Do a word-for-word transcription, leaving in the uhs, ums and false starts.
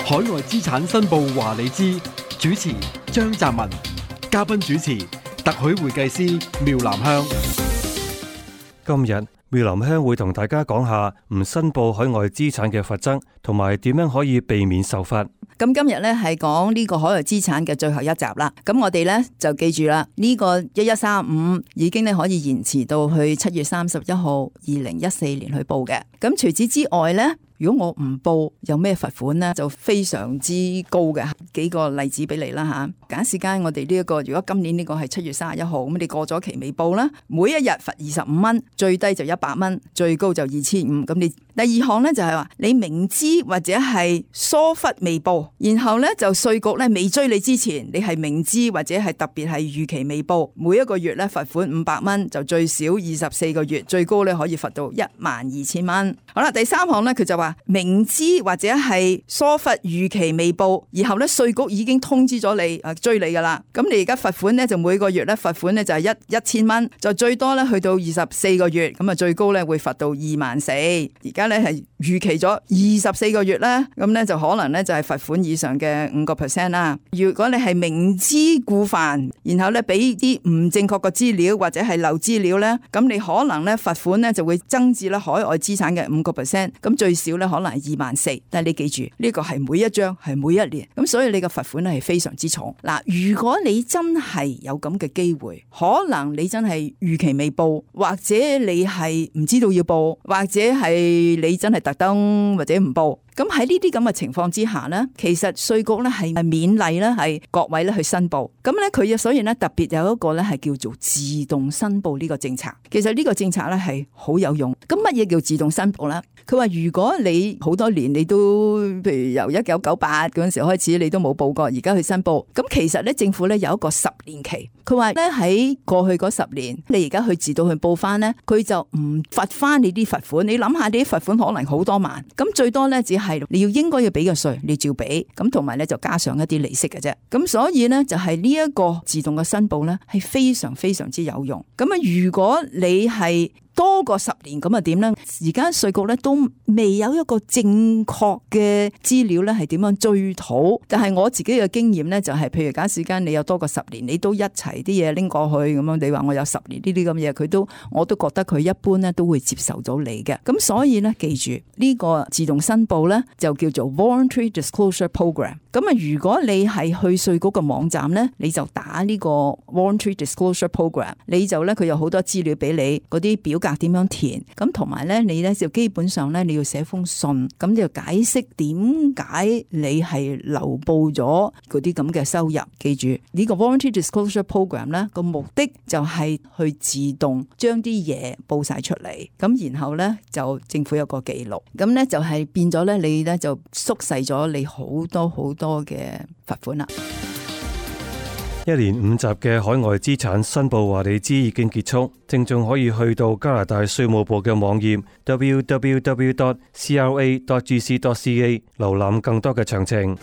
海外資產申報話你知，主持張澤文，嘉賓主持特許會計師廖南香。今日廖南香會同大家講下唔申報海外資產嘅罰則，同埋點樣可以避免受罰。咁今日咧係講呢個海外資產嘅最後一集啦。咁我哋咧就記住啦，呢個一一三五已經咧可以延遲到去七月三十一號二零一四年去報嘅。咁除此之外咧，如果我唔報有咩罰款呢？就非常之高嘅。幾個例子俾你啦吓。假時間我哋呢一個，如果今年呢個係七月三十一號，咁你過咗期未報啦，每一日罰二十五蚊，最低就一百蚊，最高就二千五。咁你第二項呢，就係話你明知或者係疏忽未報，然後呢就稅局咧未追你之前，你係明知或者係特別係逾期未報，每一個月咧罰款五百蚊，就最少二十四個月，最高咧可以罰到一萬二千蚊。好啦，第三項呢，佢就話明知或者係疏忽逾期未報，然後咧稅局已經通知咗你誒追你噶啦，咁你而家罰款咧就每個月咧罰款咧就係一一千蚊，就最多咧去到二十四個月，咁啊最高咧會罰到二萬四。而家咧係逾期咗二十四個月咧，咁咧就可能咧就係罰款以上嘅五個 percent 啦。如果你係明知故犯，然後咧俾啲唔正確嘅資料或者係漏資料咧，咁你可能咧罰款咧就會增至咧海外資產嘅五個 percent，咁最少咧可能係二萬四。但係你記住呢個係每一張係每一年，咁所以你嘅罰款咧係非常之重。嗱，如果你真係有咁嘅機會，可能你真係逾期未報，或者你係唔知道要報，或者係你真係特登或者唔報。咁喺呢啲咁嘅情況之下呢，其實稅局咧係勉勵咧係各位咧去申報。咁咧佢所以咧特別有一個咧係叫做自動申報呢個政策。其實呢個政策咧係好有用。咁乜嘢叫自動申報咧？佢話如果你好多年你都譬如由一九九八嗰陣時開始你都冇報過，而家去申報，咁其實咧政府咧有一個十年期。佢話咧喺過去嗰十年，你而家去自動去報翻咧，佢就唔罰翻你啲罰款。你諗下，你啲罰款可能好多萬，咁最多咧只係係你要應該要俾嘅稅，你照俾，咁同埋咧就加上一啲利息嘅啫。咁所以咧就係呢一個自動嘅申報咧係非常非常之有用。咁啊，如果你係多過十年咁啊點咧？而家稅局咧都未有一個正確嘅資料咧係點樣追討。但係我自己嘅經驗咧就係、是，譬如假使間你有多過十年，你都一齊啲嘢拎過去咁樣，你話我有十年呢啲咁嘢，佢都我都覺得佢一般咧都會接受到你嘅。咁所以咧記住呢、這個自動申報咧就叫做 Voluntary Disclosure Program。咁啊，如果你係去稅局嘅網站咧，你就打呢個 Voluntary Disclosure Program， 你就咧佢有好多資料俾你，嗰啲表格點樣填，咁同埋咧你咧就基本上咧你要寫封信，咁就解釋點解你係漏報咗嗰啲咁嘅收入。記住呢個 Voluntary Disclosure Program 咧個目的就係去自動將啲嘢報晒出嚟，咁然後咧就政府有個記錄，咁咧就係變咗咧你咧就縮細咗你好多好多嘅罰款啦。一連五集嘅海外資產申報話你知已經結束，聽眾可以去到加拿大稅務部嘅網頁 double-u double-u double-u dot c r a dot g c dot c a 瀏覽更多嘅詳情。